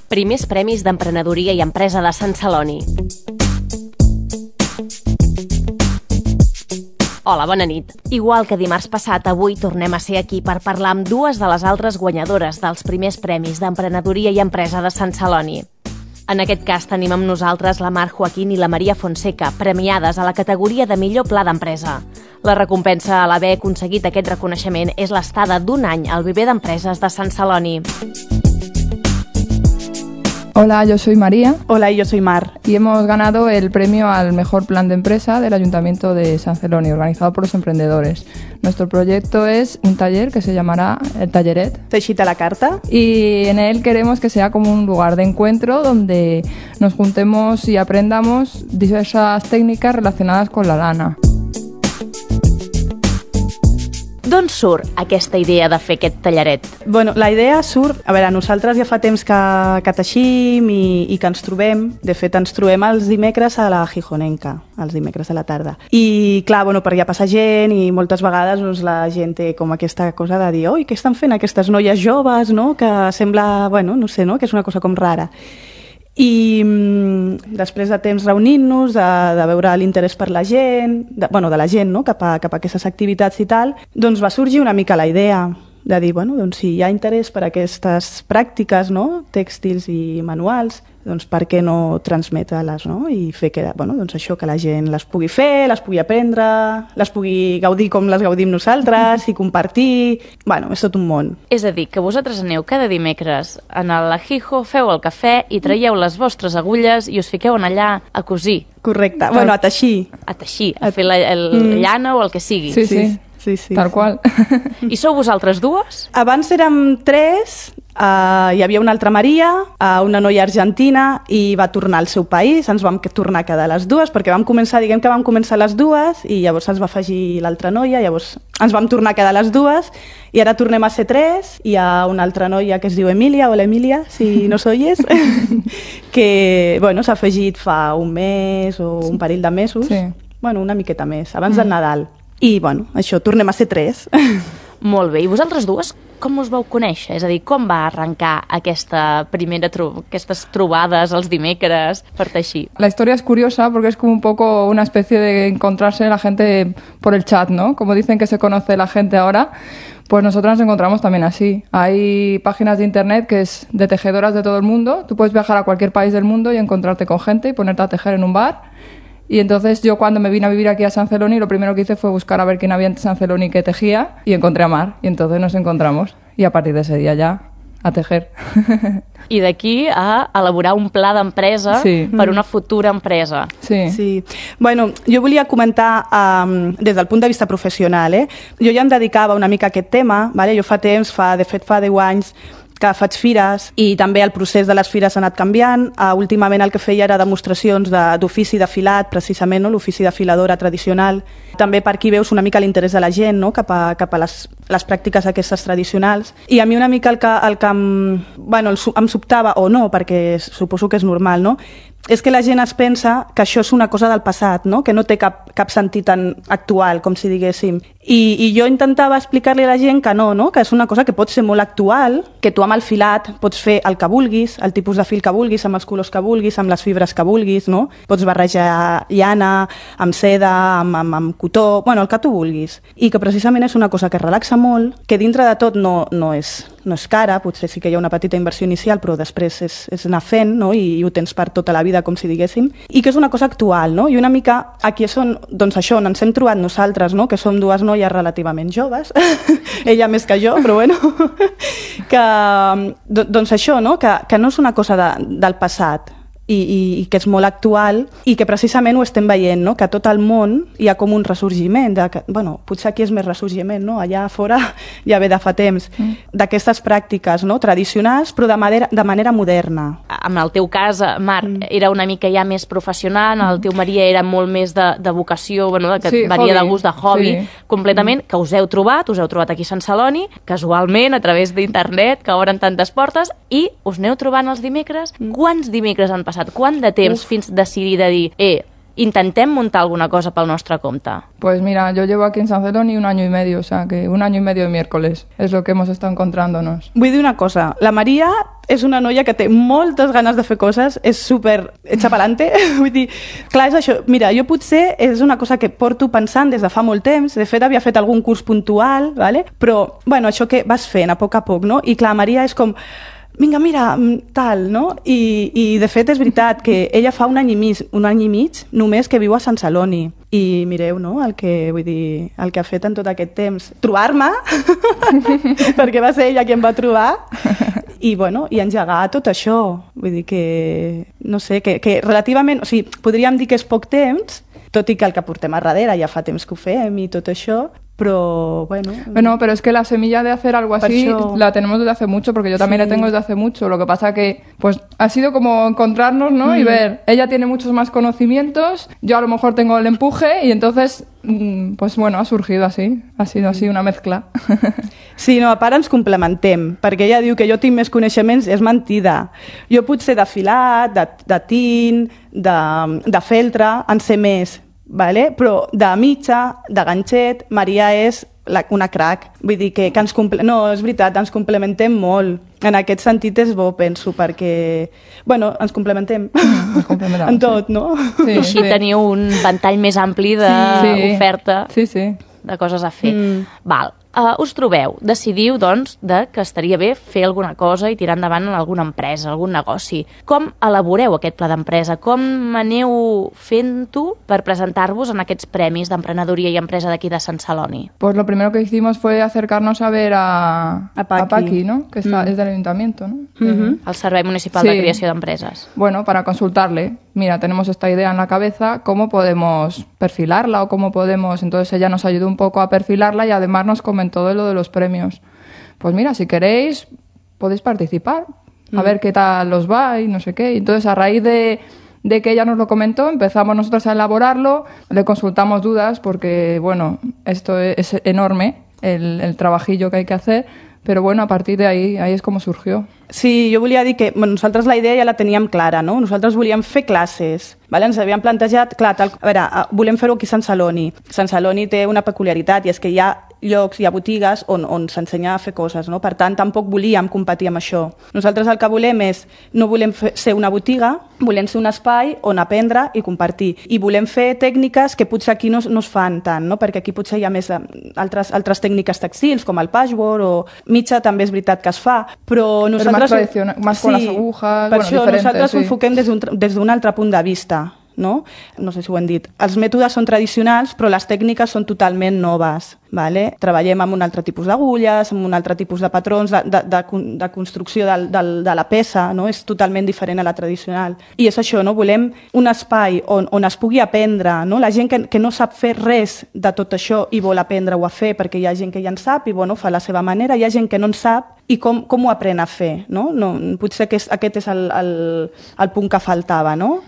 Primers Premis d'Emprenedoria i Empresa de Sant Celoni. Hola, bona nit. Igual que dimarts passat, avui tornem a ser aquí per parlar amb dues de les altres guanyadores dels Primers Premis d'Emprenedoria i Empresa de Sant Celoni. En aquest cas tenim amb nosaltres la Mar Joaquín i la Maria Fonseca, premiades a la categoria de millor pla d'empresa. La recompensa a l'haver aconseguit aquest reconeixement és l'estada d'un any al viver d'empreses de Sant Celoni. Hola, yo soy María. Hola, y yo soy Mar. Y hemos ganado el premio al mejor plan de empresa del Ayuntamiento de San Celoni, organizado por los emprendedores. Nuestro proyecto es un taller que se llamará El Talleret. Teixit a la carta. Y en él queremos que sea como un lugar de encuentro donde nos juntemos y aprendamos diversas técnicas relacionadas con la lana. D'on surt aquesta idea de fer aquest tallaret? Bueno, la idea surt... A veure, nosaltres ja fa temps que teixim i que ens trobem. De fet, ens trobem els dimecres a la Gijonenca, els dimecres a la tarda. I, clar, bueno, per allà passa gent i moltes vegades doncs, la gent té com aquesta cosa de dir oi, què estan fent aquestes noies joves, no? Que sembla, bueno, no sé, no? Que és una cosa com rara. I després de temps reunint-nos, de veure l'interès per la gent, de la gent, no? cap a aquestes activitats i tal, doncs va sorgir una mica la idea de dir, bueno, doncs si hi ha interès per aquestes pràctiques, no? Tèxtils i manuals, doncs per què no transmetre-les, no? I fer que, bueno, doncs això, que la gent les pugui fer, les pugui aprendre, les pugui gaudir com les gaudim nosaltres i compartir... Bueno, és tot un món. És a dir, que vosaltres aneu cada dimecres a la Gijo, feu el cafè i traieu les vostres agulles i us fiqueu allà a cosir. Correcte, bueno, a teixir. A teixir, a fer la llana o el que sigui. Sí, tal qual. I sou vosaltres dues? Abans érem tres, hi havia una altra Maria, una noia argentina, i va tornar al seu país, ens vam tornar a quedar les dues, perquè vam començar les dues, i llavors ens va afegir l'altra noia, llavors ens vam tornar a quedar les dues, i ara tornem a ser tres, hi ha una altra noia que es diu Emília, hola Emília, si nos oyes, que bueno, s'ha afegit fa un mes o un parell de mesos, bueno, una miqueta més, abans del Nadal. I, bueno, això, tornem a ser tres. Molt bé. I vosaltres dues, com us vau conèixer? És a dir, com va arrencar aquesta aquestes trobades els dimecres per teixir? La historia es curiosa porque es como un poco una especie de encontrarse la gente por el chat, ¿no? Como dicen que se conoce la gente ahora, pues nosotros nos encontramos también así. Hay páginas de internet que es de tejedoras de todo el mundo. Tú puedes viajar a cualquier país del mundo y encontrarte con gente y ponerte a tejer en un bar. Y entonces yo cuando me vine a vivir aquí a San Celoni, lo primero que hice fue buscar a ver quién había en San Celoni que tejía y encontré a Mar. Y entonces nos encontramos y a partir de ese día ya a tejer. I d'aquí a elaborar un pla d'empresa per una futura empresa. Sí. Bueno, jo volia comentar des del punt de vista professional. Jo ja em dedicava una mica a aquest tema. Jo fa temps, de fet fa 10 anys, que faig fires i també el procés de les fires ha anat canviant. Últimament el que feia era demostracions d'ofici de filat, precisament, no? L'ofici de filadora tradicional. També per aquí veus una mica l'interès de la gent, no? cap a les pràctiques aquestes tradicionals. I a mi una mica el que em sobtava, o no, perquè suposo que és normal, no? És que la gent es pensa que això és una cosa del passat, no? Que no té cap sentit tan actual, com si diguéssim. I jo intentava explicar-li a la gent que no? Que és una cosa que pot ser molt actual, que tu amb el filat pots fer el que vulguis, el tipus de fil que vulguis, amb els colors que vulguis, amb les fibres que vulguis, no? Pots barrejar llana, amb seda, amb cotó, bueno, el que tu vulguis. I que precisament és una cosa que relaxa molt, que dintre de tot no és cara, potser sí que hi ha una petita inversió inicial, però després és anar fent, no? I ho tens per tota la vida, com si diguéssim, i que és una cosa actual, no? I una mica aquí és on, doncs això, on ens hem trobat nosaltres, no? Que som dues noies relativament joves, ella més que jo, però bueno, que, doncs això, no? Que no és una cosa del passat, i que és molt actual i que precisament ho estem veient, no? Que a tot el món hi ha com un ressorgiment, potser aquí és més ressorgiment, no? Allà fora ja ve de fa temps, d'aquestes pràctiques, no? Tradicionals, però de manera moderna. En el teu cas, Mar, era una mica ja més professional, en el teu Maria era molt més de vocació, que varia de gust, de hobby, completament, que us heu trobat aquí a Sant Celoni, casualment, a través d'internet, que obren tantes portes, i us aneu trobant els dimecres. Quants dimecres han passat? Quant de temps fins decidir de dir, intentem muntar alguna cosa pel nostre compte. Pues mira, yo llevo aquí en San Celoni 1 año y medio, o sea que 1 año y medio de miércoles es lo que hemos estado encontrándonos. Vull dir una cosa, la Maria és una noia que té moltes ganes de fer coses, és super hecha pa'lante, vull dir, clar, és això, mira, jo potser és una cosa que porto pensant des de fa molt temps, de fet havia fet algun curs puntual, ¿vale? Però, bueno, això que vas fent a poc, no? I clar, Maria és com, vinga, mira, tal, no? I de fet és veritat que ella fa un any i mig només que viu a Sant Celoni. I mireu, no?, el que ha fet en tot aquest temps. Trobar-me, perquè va ser ella qui em va trobar, i, bueno, i engegar tot això. Vull dir que, no sé, que relativament, o sigui, podríem dir que és poc temps, tot i que el que portem a darrere ja fa temps que ho fem i tot això, pero bueno. Bueno, pero es que la semilla de hacer algo así la tenemos desde hace mucho, porque yo también la tengo desde hace mucho. Lo que pasa que, pues, ha sido como encontrarnos, ¿no? Y ver, ella tiene muchos más conocimientos, yo a lo mejor tengo el empuje, y entonces, pues bueno, ha surgido así. Ha sido así una mezcla. Sí, no, a part ens complementem, perquè ella diu que jo tinc més coneixements, és mentida. Jo potser de filat, de tint, de feltre, en sé més, vale? Però de mitja, de ganxet, Maria és una crac. Vull dir que ens no, és veritat, ens complementem molt. En aquest sentit és bo, penso, perquè bueno, ens complementem en tot, no? Sí, i així teniu un ventall més ampli d'oferta de coses a fer. Val. Us trobeu, decidiu, doncs, que estaria bé fer alguna cosa i tirar endavant en alguna empresa, algun negoci. Com elaboreu aquest pla d'empresa? Com aneu fent-ho per presentar-vos en aquests premis d'emprenedoria i empresa d'aquí de Sant Celoni? Pues lo primero que hicimos fue acercarnos a ver a Paqui, ¿no? Que es del ayuntamiento, ¿no? El Servei Municipal de Creació d'Empreses. Bueno, para consultarle. Mira, tenemos esta idea en la cabeza, ¿cómo podemos perfilarla o cómo podemos...? Entonces ella nos ayudó un poco a perfilarla y además nos comentó de lo de los premios. Pues mira, si queréis, podéis participar, a ver qué tal os va y no sé qué. Entonces, a raíz de que ella nos lo comentó, empezamos nosotros a elaborarlo, le consultamos dudas porque, bueno, esto es enorme, el trabajillo que hay que hacer, però bueno, a partir d'ahí és com surgió. Sí, jo volia dir que nosaltres la idea ja la teníem clara, no? Nosaltres volíem fer classes, vale? Ens havíem plantejat, clar, a veure, volem fer-ho aquí a Sant Celoni. Sant Celoni té una peculiaritat i és que hi ha llocs, hi ha botigues on s'ensenya a fer coses, no? Per tant, tampoc volíem competir amb això. Nosaltres el que volem és, no volem ser una botiga, volem ser un espai on aprendre i compartir. I volem fer tècniques que potser aquí no es fan tant, no? Perquè aquí potser hi ha més altres tècniques textils, com el patchwork o mitja, també és veritat que es fa, però nosaltres... Más tradicional, más con las agujas, per això nosaltres ho enfoquem des d'un altre punt de vista. No sé si ho hem dit. Els mètodes són tradicionals, però les tècniques són totalment noves. Vale? Treballem amb un altre tipus d'agulles, amb un altre tipus de patrons de construcció de la peça, no? És totalment diferent a la tradicional. I és això, no? Volem un espai on es pugui aprendre, no? La gent que no sap fer res de tot això i vol aprendre-ho a fer, perquè hi ha gent que ja en sap i bueno, fa la seva manera, hi ha gent que no en sap i com ho aprèn a fer, no? Potser aquest és el punt que faltava, no?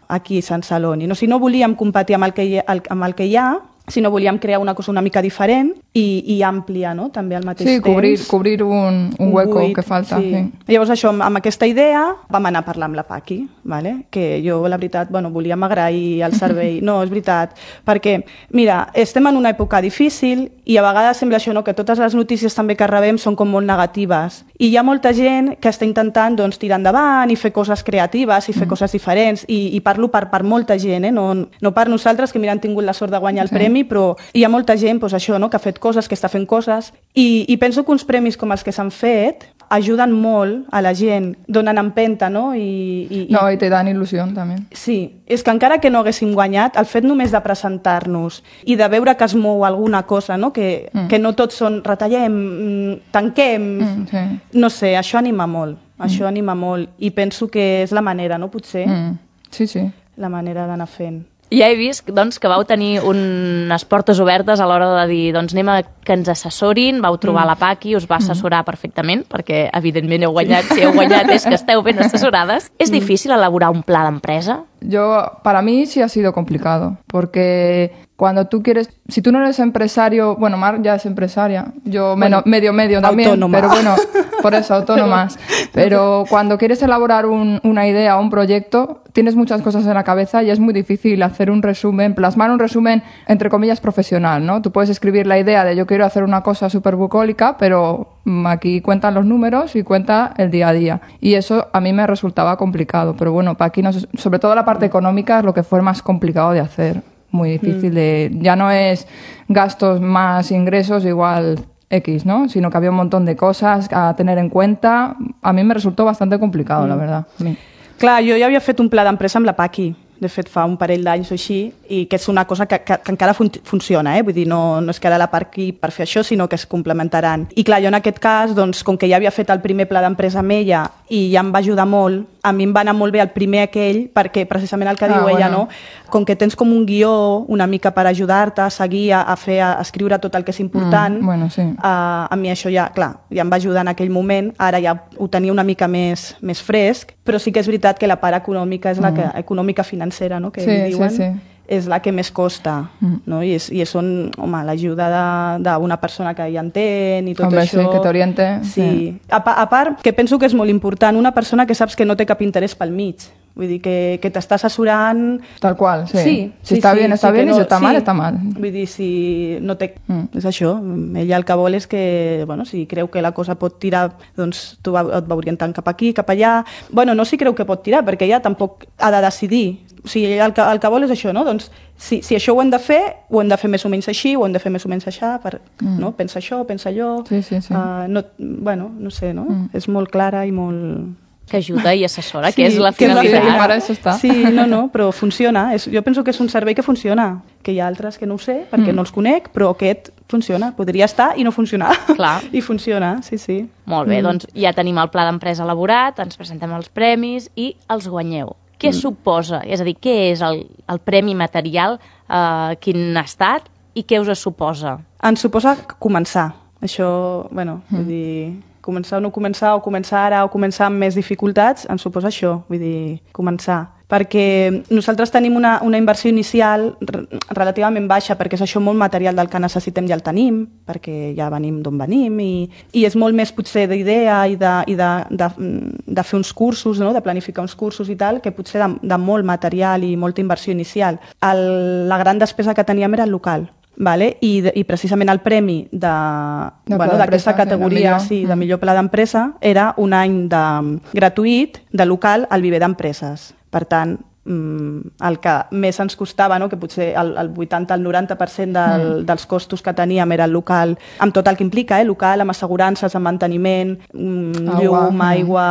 Aquí a Sant Celoni. Si no volíem competir amb el que hi ha, sinó volíem crear una cosa una mica diferent i àmplia, no? També al mateix temps. Sí, cobrir un hueco que falta. Sí. Llavors això, amb aquesta idea vam anar a parlar amb la Paqui, vale? Que jo, la veritat, volíem agrair el servei. No, és veritat, perquè, mira, estem en una època difícil i a vegades sembla això, no? Que totes les notícies també que rebem són com molt negatives. I hi ha molta gent que està intentant tirar endavant i fer coses creatives i fer coses diferents. I parlo per molta gent, no per nosaltres, que mira, han tingut la sort de guanyar el premi, però hi ha molta gent això, no? Que ha fet coses, que està fent coses, i penso que uns premis com els que s'han fet ajuden molt a la gent, donen empenta, no? I te dan il·lusió, també. Sí, és que encara que no haguéssim guanyat, el fet només de presentar-nos i de veure que es mou alguna cosa, no? Que no tots són retallem, tanquem, no sé, això anima molt, i penso que és la manera, no? Potser, la manera d'anar fent. Ja he vist doncs, que vau tenir unes portes obertes a l'hora de dir anem a que ens assessorin, vau trobar la Paqui, us va assessorar perfectament, perquè evidentment heu guanyat, si heu guanyat és que esteu ben assessorades. ¿Es difícil elaborar un pla d'empresa? Para mí sí ha sido complicado, porque cuando tú quieres, si tú no eres empresario, bueno, Mar ya es empresaria, yo medio también, autónoma. Pero bueno, por eso, autónomas. Pero cuando quieres elaborar una idea o un proyecto, tienes muchas cosas en la cabeza y es muy difícil hacer un resumen, plasmar un resumen, entre comillas, profesional, ¿no? Tú puedes escribir la idea de yo quiero hacer una cosa súper bucólica, pero aquí cuentan los números y cuenta el día a día. Y eso a mí me resultaba complicado, pero bueno, para aquí, sobre todo la parte económica es lo que fue más complicado de hacer. Muy difícil ya no es gastos más ingresos igual X, ¿no? Sino que había un montón de cosas a tener en cuenta. A mí me resultó bastante complicado, la verdad. Clar, jo ja havia fet un pla d'empresa amb la Paqui, de fet fa un parell d'anys o així, i que és una cosa que encara funciona, vull dir, no és que ara la Paqui per fer això, sinó que es complementaran. I clar, jo en aquest cas, doncs, com que ja havia fet el primer pla d'empresa amb ella i ja em va ajudar molt, a mi em va anar molt bé el primer aquell, perquè precisament el que diu ella, no? Com que tens com un guió una mica per ajudar-te a seguir, a escriure tot el que és important, a mi això ja, clar, ja em va ajudar en aquell moment, ara ja ho tenia una mica més fresc, però sí que és veritat que la part econòmica és la que, econòmica financera, no? Que diuen, és la que més costa, no? I són, home, l'ajuda d'una persona que ja entén i tot això. Sí, que t'oriente. Sí. A part, que penso que és molt important, una persona que saps que no té cap interès pel mig. Vull dir, que t'està assessorant... Tal qual, sí. Si està bien, està bien, i si està mal, està mal. Vull dir, si no té... És això, ella el que vol és que, bueno, si creu que la cosa pot tirar, doncs tu et va orientant cap aquí, cap allà... Bueno, no si creu que pot tirar, perquè ella tampoc ha de decidir. O sigui, el que vol és això, no? Doncs si això ho hem de fer més o menys així, ho hem de fer més o menys així, no? Pensa això, pensa allò... Bueno, no sé, no? És molt clara i molt... Que ajuda i assessora, que és la finalitat. Sí, no, però funciona. Jo penso que és un servei que funciona, que hi ha altres que no ho sé, perquè no els conec, però aquest funciona. Podria estar i no funcionar. Clar. I funciona, sí. Molt bé, doncs ja tenim el pla d'empresa elaborat, ens presentem els premis i els guanyeu. Què suposa? És a dir, què és el premi material, quin ha estat i què us suposa? Ens suposa començar. Això, bueno, vull dir... Començar o no començar, o començar ara o començar amb més dificultats, ens suposa això, vull dir, començar. Perquè nosaltres tenim una inversió inicial relativament baixa, perquè és això molt material del que necessitem ja el tenim, perquè ja venim d'on venim, i és molt més potser d'idea i de fer uns cursos, no? De planificar uns cursos i tal, que potser de molt material i molta inversió inicial. La gran despesa que teníem era el local. Vale? I precisament el premi d'aquesta categoria de millor pla d'empresa era un any gratuït de local al viver d'empreses. Per tant, el que més ens costava, no? Que potser el 80 al 90% dels costos que teníem era el local, amb tot el que implica, local, amb assegurances, amb manteniment, llum, aigua...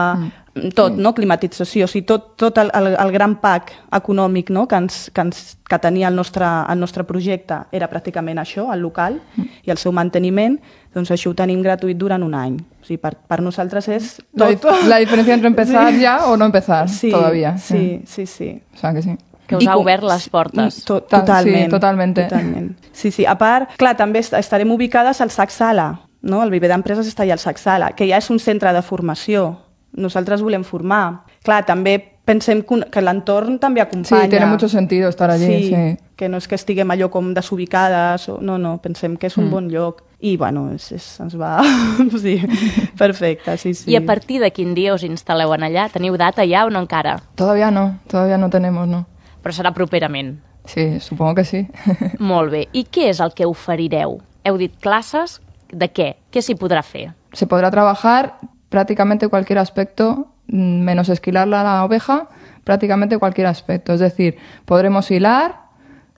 tot, no? Climatització, o sigui, tot el gran pack econòmic, no? que tenia el nostre projecte era pràcticament això, el local i el seu manteniment, doncs això ho tenim gratuït durant un any. O sigui, per nosaltres és tot. La diferència entre empezar ja o no empezar, todavía. Sí. O sea que sí. Que us ha obert les portes. Totalment. Sí, totalmente. Sí. A part, clar, també estarem ubicades al SAC Sala, no? El viver d'empreses està allà al SAC Sala, que ja és un centre de formació. Nosaltres volem formar. Clar, també pensem que l'entorn també acompanya. Sí, tiene mucho sentido estar allí. Sí. Que no és que estiguem allò com desubicades. No, pensem que és un bon lloc. I, bueno, ens va... sí, perfecte, sí. I a partir de quin dia us instal·leu en allà? Teniu data ja o no encara? Todavía no tenemos, no. Però serà properament. Sí, supongo que sí. Molt bé. I què és el que oferireu? Heu dit classes, de què? Què s'hi podrà fer? Se podrá trabajar prácticamente cualquier aspecto, menos esquilar la oveja, prácticamente cualquier aspecto. Es decir, podremos hilar,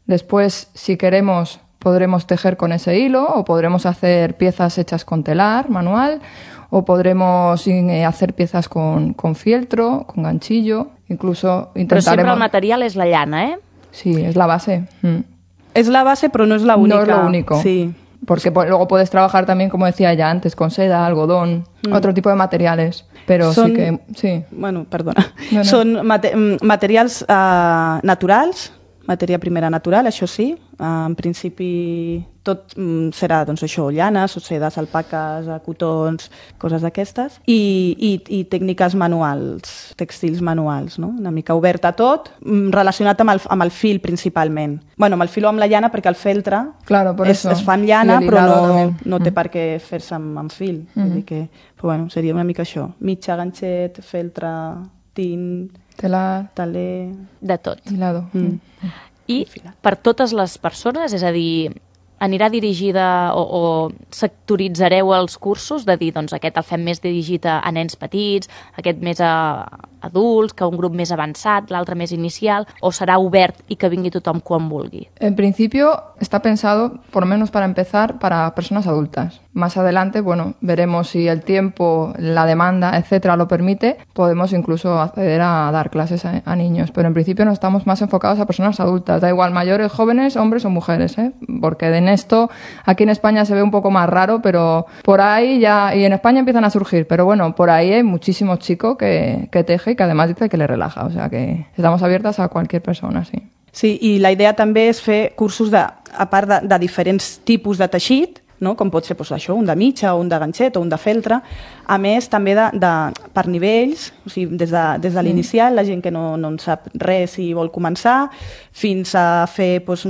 después, si queremos, podremos tejer con ese hilo, o podremos hacer piezas hechas con telar manual, o podremos hacer piezas con fieltro, con ganchillo, incluso intentaremos... Però sempre el material és la llana, ¿eh? Sí, es la base. Es la base, pero no es la única. No es lo único. Sí. Porque luego puedes trabajar también, como decía ya antes, con seda, algodón, otro tipo de materiales. Pero sí que... Sí. Bueno, perdona. No. Són materials naturals, matèria primera natural, això sí. En principi tot serà, doncs això, llanes, o sedes, alpaques, cotons, coses d'aquestes. I tècniques manuals, tèxtils manuals, no? Una mica obert a tot, relacionat amb el fil principalment. Bueno, amb el fil o amb la llana, perquè el feltre es fa amb llana, però no té per què fer-se amb fil. Vull dir que, però bueno, seria una mica això. Mitja, ganxet, feltre, tint... Telar, taler... De tot. hilado. I per totes les persones, és a dir, anirà dirigida o sectoritzareu els cursos, de dir, doncs aquest el fem més dirigit a nens petits, aquest més a adults, que un grup més avançat, l'altre més inicial, o serà obert i que vingui tothom quan vulgui? En principio está pensado, por lo menos para empezar, para personas adultas. Más adelante, bueno, veremos si el tiempo, la demanda, etcétera, lo permite, podemos incluso acceder a dar clases a niños. Pero en principio nos estamos más enfocados a personas adultas. Da igual, mayores, jóvenes, hombres o mujeres, ¿eh? Porque en esto, aquí en España se ve un poco más raro, pero por ahí ya, y en España empiezan a surgir, pero bueno, por ahí hay muchísimos chicos que teje y que además dice que le relaja. O sea que estamos abiertas a cualquier persona, sí. Sí, i la idea també és fer cursos a part de diferents tipus de teixit, no? Com pot ser doncs, això, un de mitja, o un de ganxet, o un de feltre. A més, també per nivells, o sigui, des de l'inicial, la gent que no en sap res i vol començar, fins a fer doncs,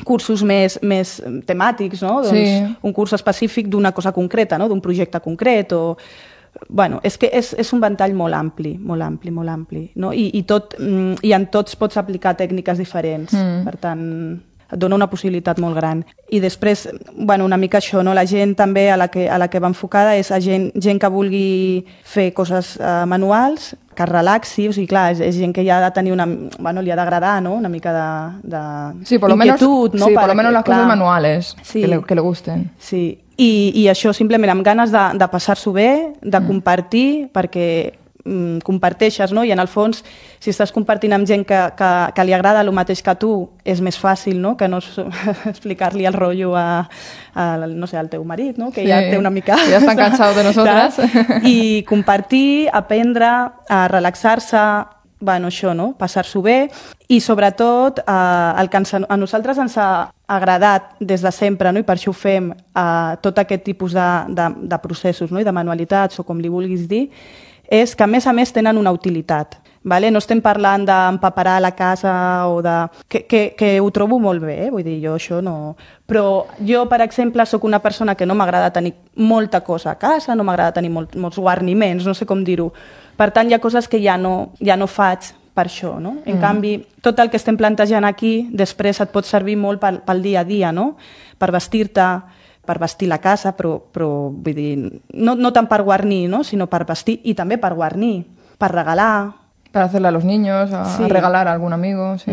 cursos més temàtics, no? Doncs, un curs específic d'una cosa concreta, no? D'un projecte concret, o... Bueno, és que és un ventall molt ampli, no? I en tots pots aplicar tècniques diferents, per tant et dona una possibilitat molt gran. I després, bueno, una mica això, no? La gent també a la que va enfocada és a gent que vulgui fer coses manuals, que es relaxi, o sigui, clar, és gent que ja ha de tenir bueno, li ha d'agradar, no? Una mica de sí, por lo inquietud, menos, no? Sí, por lo menos las cosas manuales, sí. que le gusten. Sí, i això simplement amb ganes de passar-s'ho bé, de compartir, perquè comparteixes, no? I en el fons, si estàs compartint amb gent que li agrada el mateix que tu, és més fàcil, no? Que no explicar-li el rotllo no sé, al teu marit, no? Que ja té una mica... Ja estan cansats de nosotras. I compartir, aprendre, a relaxar-se, bueno, això, no? Passar-s'ho bé, i sobretot el que a nosaltres ens ha agradat des de sempre, no? I per això ho fem, tot aquest tipus de processos, no? I de manualitats, o com li vulguis dir, és que a més tenen una utilitat. Vale? No estem parlant d'empaperar la casa o de... Que ho trobo molt bé, vull dir, jo això no... Però jo, per exemple, sóc una persona que no m'agrada tenir molta cosa a casa, no m'agrada tenir molts guarniments, no sé com dir-ho. Per tant, hi ha coses que ja no faig per això, no? En canvi, tot el que estem plantejant aquí, després et pot servir molt pel dia a dia, no? Per vestir-te, per vestir la casa, però vull dir, no tant per guarnir, no? Sinó per vestir i també per guarnir, per regalar. Per hacerle a los niños, a regalar a algún amigo, sí.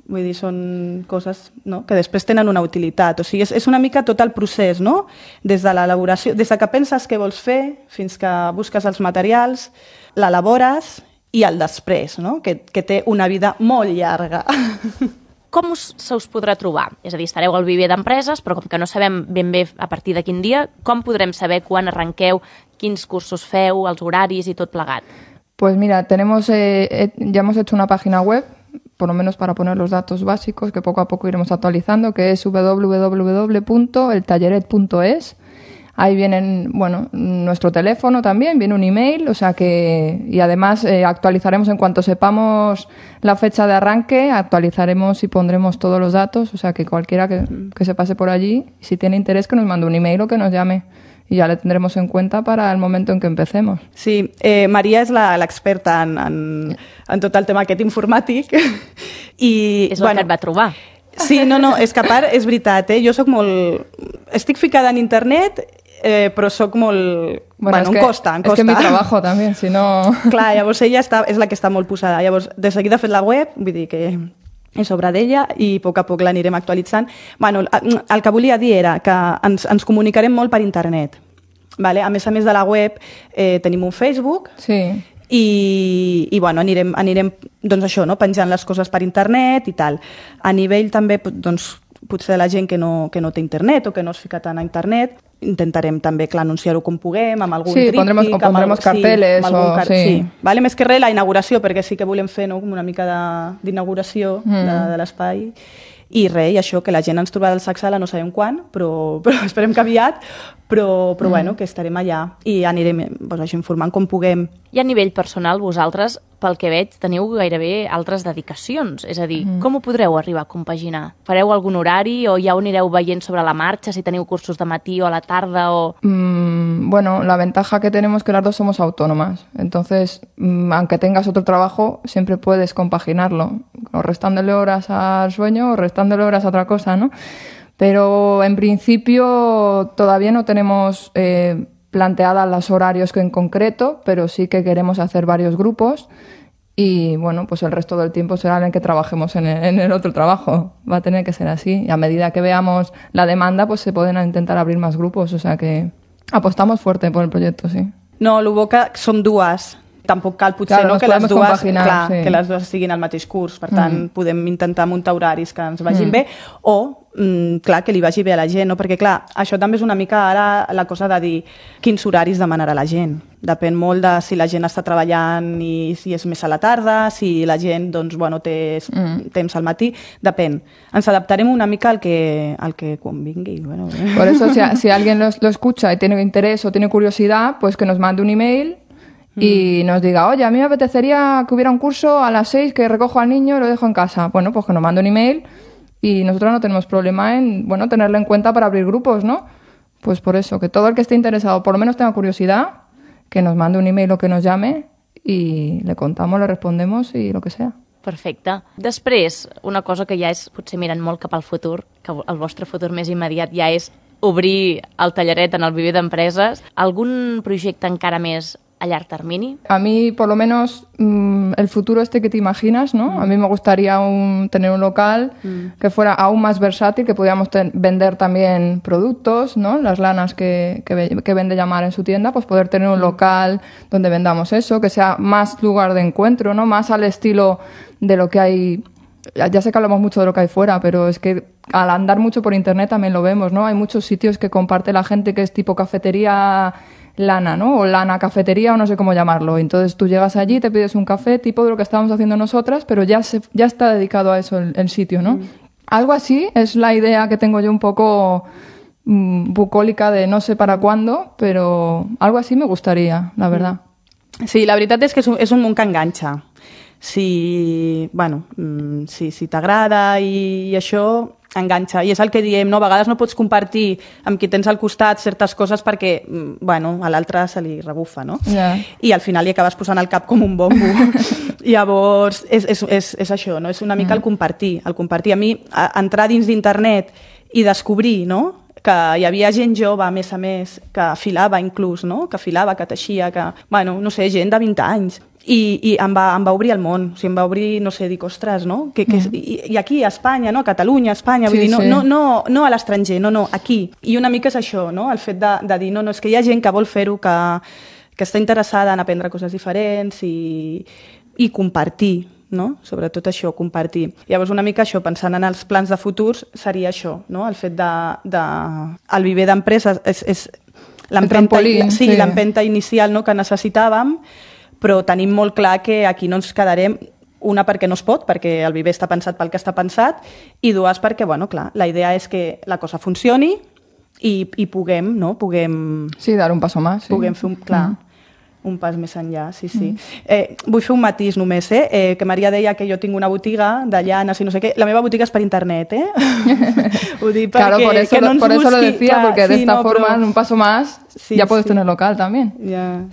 Vull dir, són coses, no? Que després tenen una utilitat. O sigui, és una mica tot el procés, no? Des de l'elaboració, des que penses què vols fer, fins que busques els materials, l'elabores i el després, no? Que té una vida molt llarga. Com se us podrà trobar? És a dir, estareu al viver d'empreses, però com que no sabem ben bé a partir de quin dia, com podrem saber quan arrenqueu, quins cursos feu, els horaris i tot plegat? Pues mira, ya hemos hecho una página web, por lo menos para poner los datos básicos, que poco a poco iremos actualizando, que es www.eltalleret.es. Ahí vienen, bueno, nuestro teléfono también, viene un email, o sea que... Y además actualizaremos en cuanto sepamos la fecha de arranque, actualizaremos y pondremos todos los datos, o sea que cualquiera que se pase por allí, si tiene interés, que nos mande un email o que nos llame. Y ya le tendremos en cuenta para el momento en que empecemos. Sí, Maria és l'experta en tot el tema aquest informàtic. I, és el que et va trobar. Sí, no, és que a part, és veritat, jo soc molt... Estic ficada en internet, però soc molt... Bueno, em costa. És que mi trabajo també, si no... Clar, llavors ella és la que està molt posada. Llavors, de seguida ha fet la web, vull dir que és obra d'ella i a poc l'anirem actualitzant. Bueno, el que volia dir era que ens comunicarem molt per internet. Vale? A més de la web, tenim un Facebook. Sí. I bueno, anirem doncs això, no? Penjant les coses per internet i tal. A nivell també, doncs, potser la gent que no té internet o que no es fica tant a internet, intentarem també, clar, anunciar-ho com puguem, amb algun tríptic... Sí, pondremos carteles. Sí. Vale? Més que res, la inauguració, perquè sí que volem fer, no? Una mica d'inauguració de l'espai. I res, i això, que la gent ens trobarà al Sacsala, no sabem quan, però esperem que aviat, però bueno, que estarem allà i anirem doncs, informant com puguem. I a nivell personal, vosaltres, pel que veig, teniu gairebé altres dedicacions. És a dir, com ho podreu arribar a compaginar? Fareu algun horari o ja ho anireu veient sobre la marxa, si teniu cursos de matí o a la tarda? O... Bueno, la ventaja que tenemos es que las dos somos autónomas. Entonces, aunque tengas otro trabajo, siempre puedes compaginarlo, o restándole horas al sueño o restándole horas a otra cosa, ¿no? Pero en principio todavía no tenemos planteadas los horarios en concreto, pero sí que queremos hacer varios grupos. Y bueno, pues el resto del tiempo será en el que trabajemos en el otro trabajo. Va a tener que ser así. Y a medida que veamos la demanda, pues se pueden intentar abrir más grupos. O sea que apostamos fuerte por el proyecto, sí. No, el bo que som dues. Tampoc cal potser Claro, no, que les dues, sí. que les dues siguin al mateix curs. Per tant, podem intentar muntar horaris que ens vagin bé o, clar, que li vagi bé a la gent. No? Perquè, clar, això també és una mica ara la cosa de dir quins horaris demanarà la gent. Depèn molt de si la gent està treballant i si és més a la tarda, si la gent doncs, bueno, té temps al matí. Depèn. Ens adaptarem una mica al que convingui. Bueno. Por eso, si alguien lo escucha y tiene interés o tiene curiosidad, pues que nos mande un email y nos diga, oye, a mí me apetecería que hubiera un curso a las 6 que recojo al niño y lo dejo en casa. Bueno, pues que nos mande un email y nosotros no tenemos problema en, bueno, tenerlo en cuenta para abrir grupos, ¿no? Pues por eso, que todo el que esté interesado, por lo menos tenga curiosidad, que nos mande un email o que nos llame y le contamos, le respondemos y lo que sea. Perfecte. Després, una cosa que ja és potser mirant molt cap al futur, que el vostre futur més immediat ja és obrir el tallaret en el Viver d'Empreses. Algun projecte encara més a llarg termini? A mí, por lo menos, el futuro que te imaginas, ¿no? A mí me gustaría tener un local que fuera aún más versátil, que pudiéramos vender también productos, ¿no? Las lanas que vende Llamar en su tienda, pues poder tener un local donde vendamos eso, que sea más lugar de encuentro, ¿no? Más al estilo de lo que hay. Ya sé que hablamos mucho de lo que hay fuera, pero es que al andar mucho por internet también lo vemos, ¿no? Hay muchos sitios que comparte la gente que es tipo cafetería lana, ¿no? O lana cafetería o no sé cómo llamarlo. Entonces tú llegas allí, te pides un café, tipo de lo que estábamos haciendo nosotras, pero ya está dedicado a eso el sitio, ¿no? Algo así es la idea que tengo yo un poco bucólica de no sé para cuándo, però algo así me gustaría, la verdad. Sí, la veritat és que és un món que enganxa. Si t'agrada i això enganxa. I és el que diem, no? A vegades no pots compartir amb qui tens al costat certes coses perquè, bueno, a l'altre se li rebufa, no? Yeah. I al final li acabes posant al cap com un bombo. Llavors, és això, no? És una mica el compartir. El compartir. A mi, entrar dins d'internet i descobrir, no?, que hi havia gent jove, a més, que filava inclús, no?, que filava, que teixia, que, bueno, no sé, gent de 20 anys. I em va obrir el món. O sigui, em va obrir, no sé, dic, ostres, no? I aquí, a Espanya, no? A Catalunya, a Espanya, vull dir, no a l'estranger, no, aquí. I una mica és això, no? El fet de dir, no, és que hi ha gent que vol fer-ho, que està interessada en aprendre coses diferents i compartir, no? Sobretot això, compartir. Llavors, una mica això, pensant en els plans de futurs, seria això, no? El fet el Viver d'Empreses és l'empenta inicial, no?, que necessitàvem, però tenim molt clar que aquí no ens quedarem, una perquè no es pot, perquè el Viver està pensat pel que està pensat, i dues perquè, bueno, clar, la idea és que la cosa funcioni i puguem, no? Sí, dar un paso más. Sí. Puguem fer un pas més enllà, sí. Vull fer un matís només, que Maria deia que jo tinc una botiga de llanes i no sé què. La meva botiga és per internet, Ho dic perquè claro, por eso lo decía, clar, porque de esta forma, però... en un paso más, ya puedes tener local también.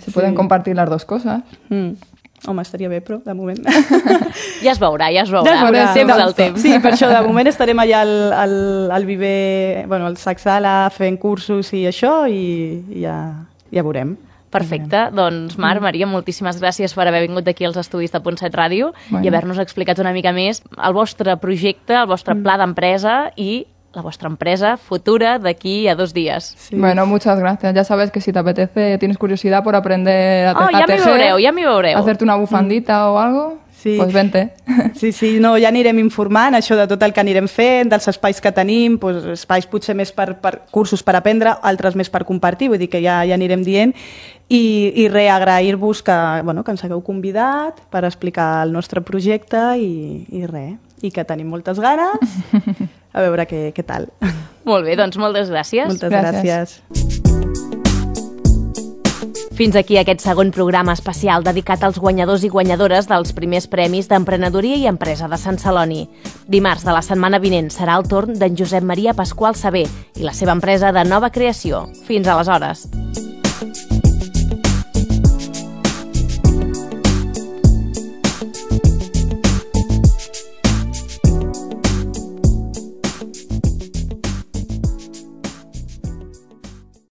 Se pueden compartir las dos cosas. Home, estaria bé, però de moment... Ja es veurà. Temps al temps. Sí, per això, de moment estarem allà al Viver, bueno, al Sac Sala, fent cursos i això, i ja veurem. Perfecte. Doncs, Mar, Maria, moltíssimes gràcies per haver vingut aquí als estudis de Punt 7 Ràdio i haver-nos explicat una mica més el vostre projecte, el vostre pla d'empresa i la vuestra empresa futura de aquí a 2 días. Sí. Bueno, muchas gracias. Ya sabes que si te apetece, tienes curiosidad por aprender a tejer, ja m'hi veureu. Hacerte una bufandita o algo, pues vente. Sí, no, ja anirem informant això de tot el que anirem fent, dels espais que tenim, doncs, espais potser més per cursos per aprendre, altres més per compartir, vull dir que ja anirem dient. I agrair-vos que ens hagueu convidat per explicar el nostre projecte i que tenim moltes ganes. A veure què tal. Molt bé, doncs moltes gràcies. Moltes gràcies. Fins aquí aquest segon programa especial dedicat als guanyadors i guanyadores dels primers premis d'Emprenedoria i Empresa de Sant Celoni. Dimarts de la setmana vinent serà el torn d'en Josep Maria Pasqual Saber i la seva empresa de nova creació. Fins aleshores.